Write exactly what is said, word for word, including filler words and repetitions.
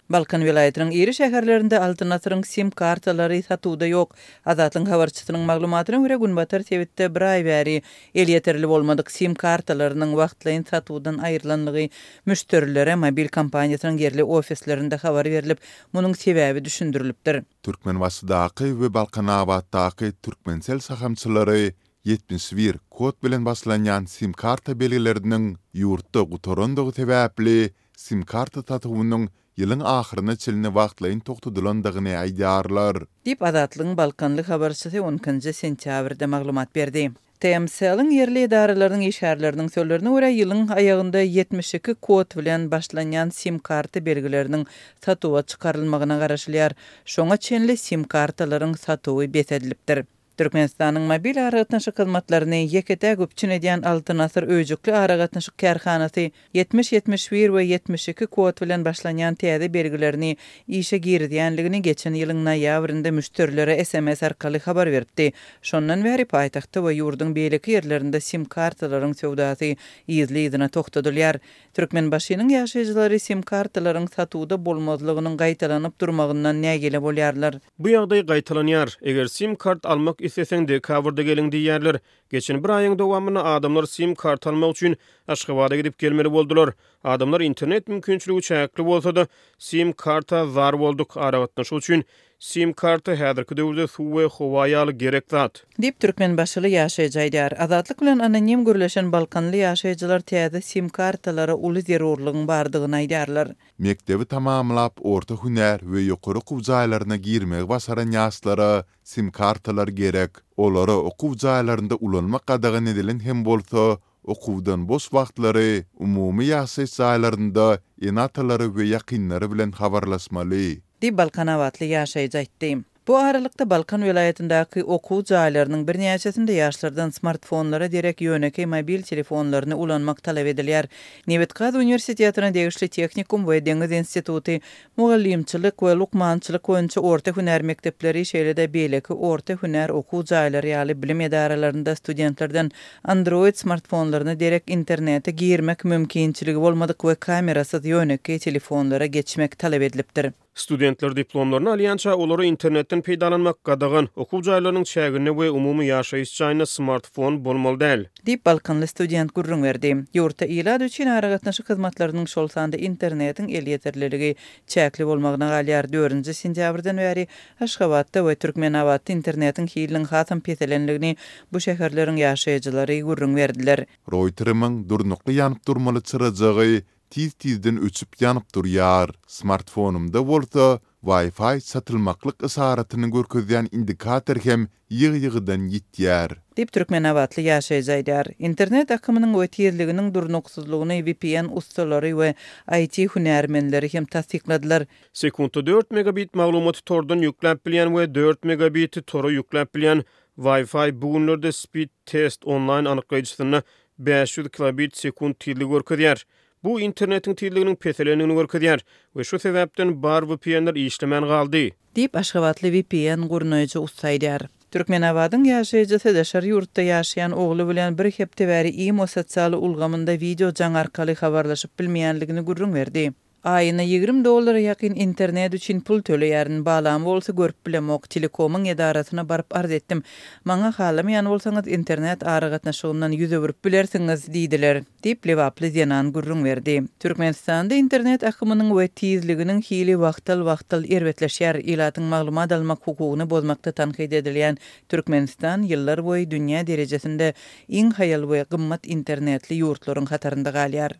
Balkan welaýatynyň iri şäherlerinde Altyn asyryň sim kartalary satuwda ýok. Azatlygyň habarçysynyň maglumatyna görä, günbatar sebitde bir aý bäri elýeterli bolmadyk sim kartalarynyň wagtlaýyn satuwdan aýrylandygy müşderilere mobil kompaniýasynyň ýerli ofislerinde habar berlip, munuň sebäbi düşündirilipdir. Türkmenbaşydaky we Balkanabatdaky Turkmencell şahamçalary ýetmiş bir kod bilen başlanýan sim karta belgileriniň ýurtda gutarandygy sebäpli sim karta satuwynyň ýylyň ahyryna çenli wagtlaýyn togtadylandygyny aýdýarlar. Diýip, Azatlygyň balkanly habarçysy on ikinji sentýabrda maglumat berdi. Tmcell-iň ýerli edaralarynyň işgärleriniň sözlerine görä, ýylyň aýagynda ýetmiş iki kod bilen başlanýan sim karta belgileriniň satuwa çykarylmagyna garaşylýar. Şoňa çenli sim kartalaryň satuwy bes edilipdir. Türkmenistanyň mobil aragatnaşyk hyzmatlaryny ýeke-täk üpjün edýän Altyn asyr öýjükli aragatnaşyk kärhanasy ýetmiş, ýetmiş bir we ýetmiş iki kod bilen başlanýan täze belgilerini işe girizýänligini geçen ýylyň noýabrynda müşderilere S M S arkaly habar beripdi. Şondan bäri paýtagtda we ýurduň beýleki ýerlerinde sim kartalaryň söwdasy yzly-yzyna togtadylýar. Türkmenbaşynyň ýaşaýjylary sim kartalaryň satuwda bolmazlygynyň gaýtalanyp durmagyndan nägile bolýarlar. Bu ýagdaý gaýtalanýar. Eger sim kart almak isleseň, dekabrda geliň diýýärler. Geçen bir aýyň dowamynda adamlar sim kart almak üçin Aşgabada gidip gelmeli boldular. Adamlar internet mümkinçiligi çäkli bolsa-da, sim karta zar bolduk. Aragatnaşyk üçin sim karta häzirki döwürde suw we howa ýaly gerek zat. Diýip, türkmenbaşyly ýaşaýjy aýdýar. Azatlyk bilen anonim gürleşen balkanly ýaşaýjylar täze sim kartalara uly zerurlygyň bardygyny aýdýarlar. Mekdebi tamamlap, orta hünär we ýokary okuw jaýlaryna girmegi başaran ýaşlara sim kartalar gerek. Olara okuw jaýlarynda ulanmak gadagan edilen hem bolsa, okuwdan boş wagtlary umumy ýaşaýyş jaýlarynda ene-atalary we ýakynlary bilen habarlaşmaly. Diýip, balkanabatly ýaşaýjy aýtdy. Bu aralykda Balkan welaýatyndaky okuw jaýlarynyň birnäçesinde ýaşlardan smartfonlara derek ýönekeý mobil telefonlaryny ulanmak talap edilýär. Nebitgaz uniwersitetine degişli tehnikum we deňiz instituty, mugallymçylyk we lukmançylyk boýunça orta hünär mekdepleri, şeýle-de beýleki orta hünär okuw jaýlary ýaly bilim edaralarynda studentlerden Android smartfonlaryna derek internete girmek mümkinçiligi bolmadyk we kamerasyz ýönekeý telefonlara geçmek talap edilipdir. Studentler diplomlaryny alýança olara internetden peýdalanmak gadagan, okuw jaýlarynyň çäginde we umumy ýaşaýyş jaýynda smartfon bolmaly däl. Diýip, balkanly student gürrüň berdi. Ýurtda ilat üçin aragatnaşyk hyzmatlarynyň, şol sanda internetiň elýeterliligi çäkli bolmagyna galýar. Dördünji sentýabrdan bäri Aşgabatda we Türkmenabatda internetiň hiliniň hasam peselenligini bu şäherleriň ýaşaýjylary gürrüň berdiler. Routerimiň durnukly ýanyp durmaly çyrajagy tiz-tizden öçüp ýanyp durýar. Smartfonumda bolsa Wi-Fi çatylmaklyk yşaratyny görkezýän indikator hem ýygy-ýygydan ýitýär. Diýip, türkmenabatly ýaşaýjy aýdýar. Internet akymynyň we tizliginiň durnuksyzlygyny V P N ussalary we I T hünärmenleri hem tassykladylar. Sekuntda dört megabit maglumaty tordan ýükläp bilýän we dört megabiti tora ýükläp bilýän Wi-Fi bu günlerde speed test onlaýn anyklaýjysynda bäş ýüz kilobit sekunt tizligi görkezýär. Bu internetiň tizliginiň peselendigini görkezýär we şu sebäpden bar V P N-ler işlemän galdy. Diýip, Aşgabatly V P N gurnaýjy ussa aýdýar. Türkmenabadyň ýaşaýjysy daşary ýurtda ýaşaýan ogly bilen bir hepde bäri Imo sosial ulgamynda wideo jaň arkaly habarlaşyp bilmeýänligini gürrüň berdi. Aýyna ýigrimi dollara ýakyn internet üçin pul töleýärin, balam bolsa görüp bilemok, telekomyň edarasyna baryp arz etdim. Maňa halamaýan bolsaňyz internet aragatnaşygyndan ýüz öwürip bilersiňiz diýdiler, diýip lebaply zenan gürrüň berdi. Türkmenistanda internet akymynyň we tizliginiň hili wagtal-wagtal erbetleşýär. Ilatyň maglumat almak hukugyny bozmakda tankyt edilýän Türkmenistan ýyllar boýy dünýä derejesinde iň haýal we gymmat internetli ýurtlaryň hatarynda galýar.